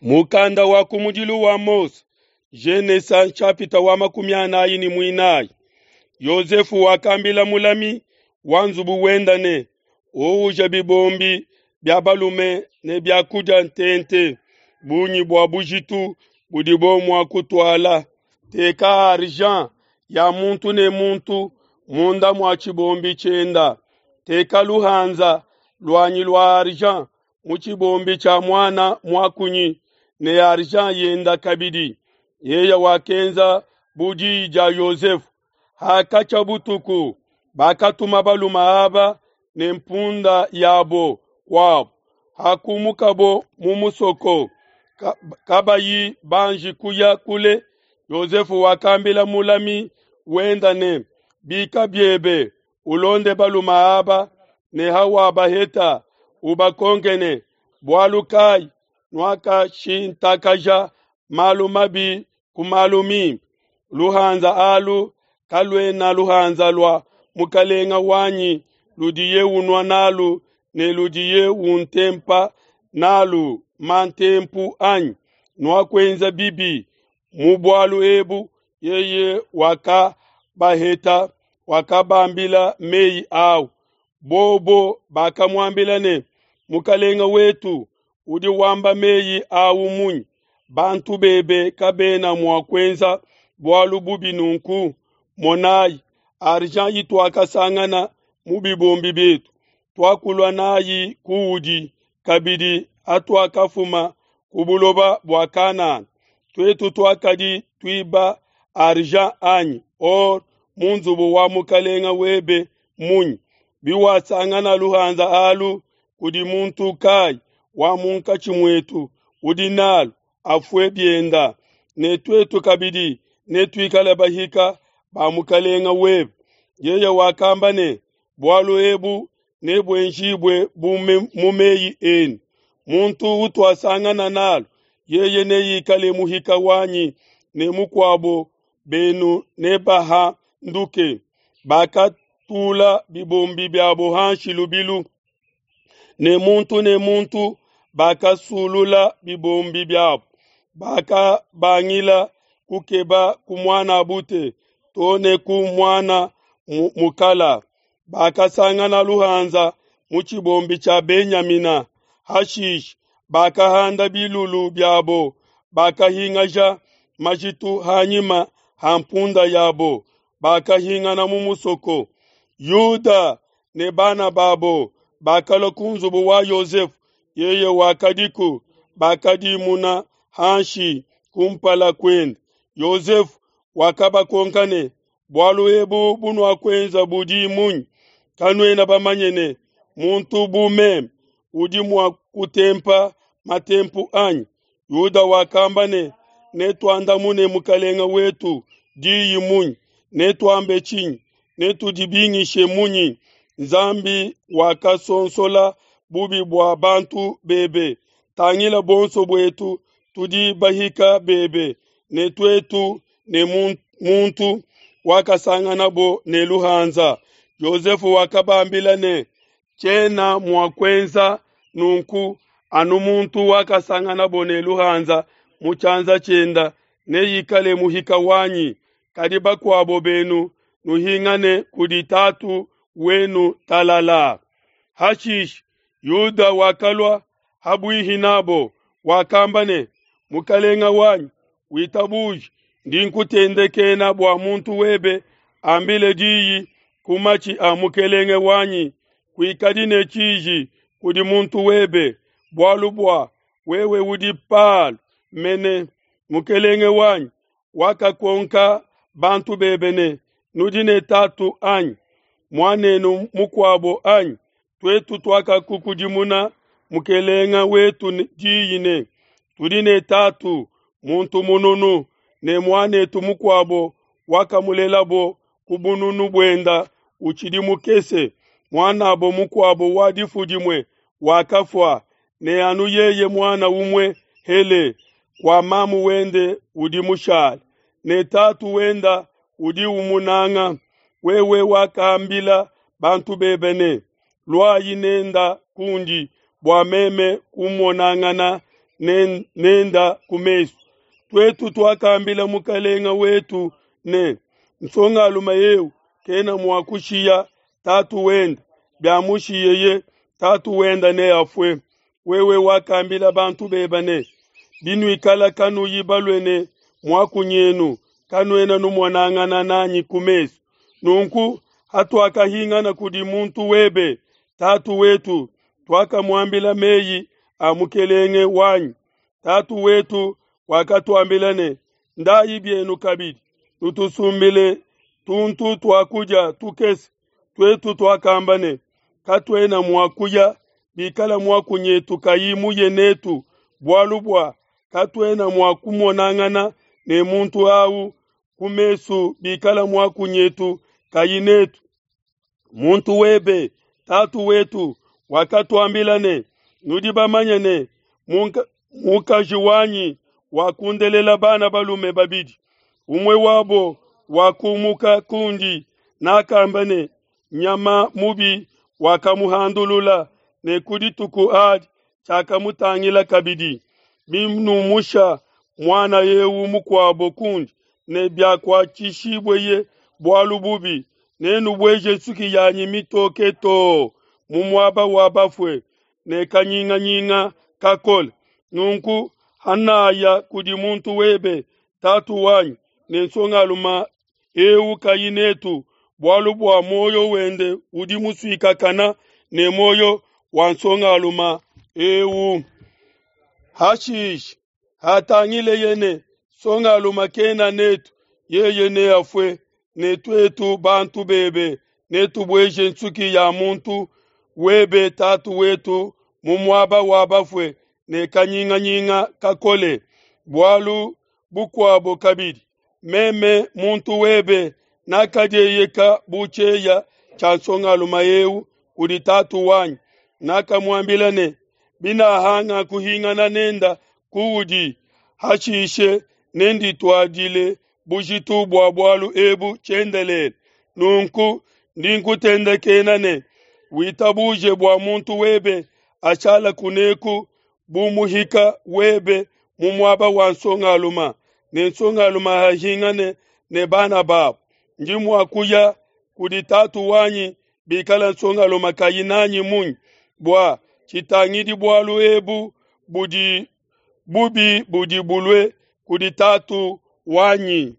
Mukanda wa kumudilu wa Mose, Genesa nshapita wa 44. Yosefu wakambila mulami wa nzubu wenda ne, uuja bibombi bia balume ne biakudia ntente, bungi bua bujitu budibo mua kutuala. Teka argent ya muntu ne muntu munda mua tshibombi tshienda. Teka luhanza luanyi lua argent mu tshibombi tshia muana muakunyi ne argent yenda kabidi. Yeye wakenza bu diyi dia Yosefu. Hakatshia butuku, bakatuma balume aba ne mpunda yabo kuabo. Hakumukabo mu musoko, kabayi banji kuya kule, Yosefu wakambila mulami wenda ne, bika biebe, ulonde balume aba, ne hawabaheta, ubakonke ne, bualu kai nuakashintakaja malu mabi ku malu mimpe? Luhanza alu kaluena luhanza lua mukalenga wanyi ludiye unua nalu ne ludiye untempa nalu mantempu anyi. Nuakuenza bibi mu bualu ebu. Yeye wakabaheta, wakabambila meyi au. Bobo bakamuambila ne, mukalenga wetu udi wamba meyi au munyi? Bantu bebe kabena mua kuenza bualu bubi nunku. Monayi, argent ituakasangana mu bibombi bietu, tuakulua nayi kuudi kabidi atuakafuma ku buloba bua Kanana. Tuetu tuakadi tuiba argent anyi or mu nzubu wa mukalenga webe munyi? Biwasangana luhanza alu kudi muntu kai wa munkatshi muetu udi nalu, afue bienda, ne tuetu kabidi netuikale bahika ba mukalenga webe. Yeye wakamba ne, bualu ebu nebuenjibue bu mu meyi enu. Muntu utuasangana nalu, yeye neikale muhika wanyi, ne mukuabo benu nebahanduke. Bakatula bibombi biabo hanshi lubilu, ne muntu ne muntu bakasulula bibombi biabo. Bakabangila kukeba ku muana bute to ne ku muana mukala. Bakasangana luhanza mu tshibombi tshia Benyamina. Hashishe bakahanda bilulu biabo, bakahingaja majitu hanyima ha mpunda yabo, bakahingana mu musoko. Yuda ne bana babo bakalua ku nzubu wa Yosefu, yeye wakadiku, bakadimuna hanshi kumpala kuende. Yosefu wakabakonka ne, bualu ebu bunuakuenza budi munyi? Kanuena bamanye ne, muntu bu meme udi mua kutempa matempu anyi? Yuda wakamba ne, netuandamune mukalenga wetu diyi munyi? Netuambe tshinyi? Netudibingishe munyi? Nzambi wakasonsola bubi bua bantu bebe. Tangila bonso buetu tudi bahika bebe, ne tuetu ne muntu wakasanganabo ne luhanza. Yosefu wakabambila ne, tshiena mua kuenza nunku, anu muntu wakasanganabo ne luhanza mu tshianza tshienda neikale muhika wanyi. Kadi bakuabo benu nuhingane kudi tatu wenu talala. Hashishe Yuda wakalua habuihi nabo, wakamba ne, mukalenga wanyi, witabuje ndi nkutendekena bua muntu webe ambile diyi ku matshi a mukelenge wanyi. Kuikadi ne tshiji kudi muntu webe, bualu bua wewe udi Palo mene. Mukelenge wanyi wakakonka bantu bebe ne, nudi ne tatu anyi? Muanenu mukuabo anyi? Tuetu tuakakukudimuna mukelenga wetu diyi ne, tudi ne tatu muntu mununu, ne muanetu mukuabo wakamulelabo ku bununu buenda utshidi mukese. Muanabo mukuabo wa difu dimue wakafua, ne anu yeye muana umue hele kwa mamu wende udi mushale, ne tatu wenda udi umunanga. Wewe wakambila bantu bebe ne, luayi nenda kundi bua meme kumonangana nenda ku mesu. Tuetu tuakambila mukalenga wetu ne, nsongalume eu kena mua kushiya tatu wende, biamushiyeye, tatu wende neafue. Wewe wakambila bantu bebe ne, binuikala kanuyi balue ne muakunyenu, kanuena numonangana nanyi ku mesu. Nunku hatuakahingana kudi muntu webe, tatu wetu, tuakamuambila meyi a mukelenge wanyi. Tatu wetu wakatuambila ne, ndayi bienu kabidi, nutusumbile tuntu tua kudia tukese. Tuetu tuakamba ne, katuena mua kuya bikala muakunyetu kayi muye netu, bualu bua katuena mua kumonangana ne muntu au ku mesu bikala muakunyetu kayi netu. Muntu webe, tatu wetu, wakatuambila ne, nudi bamanye ne, mukaji wanyi wakundelela bana balume babidi, umue wabo wakumuka kundi, nakamba ne, nyama mubi wakamuhandulula, ne ku dituku adi tshiakamutangila kabidi. Binumusha muana eu mukuabo kundi, ne biakuatshishibweye bualu bubi, nenubueje nsuki yanyi mitoke too mu muaba wa bafue ne kanyinganyinga kakole. Nunku hanaya kudi muntu webe, tatu wanyi, ne nsongalume eu kayi netu, bualu bua muoyo wende udi musuikakana ne muoyo wa nsongalume eu. Hashishe hatangileye ne nsongalume kena netu, yeye neafue, ne tuetu bantu bebe netubueje nsuki ya muntu webe tatu wetu mu muaba wa bafue ne kanyinganyinga kakole. Bualu bukuabo kabidi, meme muntu webe nakadieyeka bu tshieya tshia nsongalume eu kudi tatu wanyi, nakamuambila ne, binahanga kuhingana nenda kuudi, hashishe nendituadile bujitu bua bualu ebu tshiendelele. Nunku ndi nkutendekena ne, witabuje bua muntu webe ashala kuneku bu muhika webe mu muaba wa nsongalume, ne nsongalume ahingane ne bana babo. Ndi mua kuya kudi tatu wanyi bikala nsongalume kayi nanyi munyi, bua tshitangidi bualu ebu budi bubi budi bulue kudi tatu wanyi.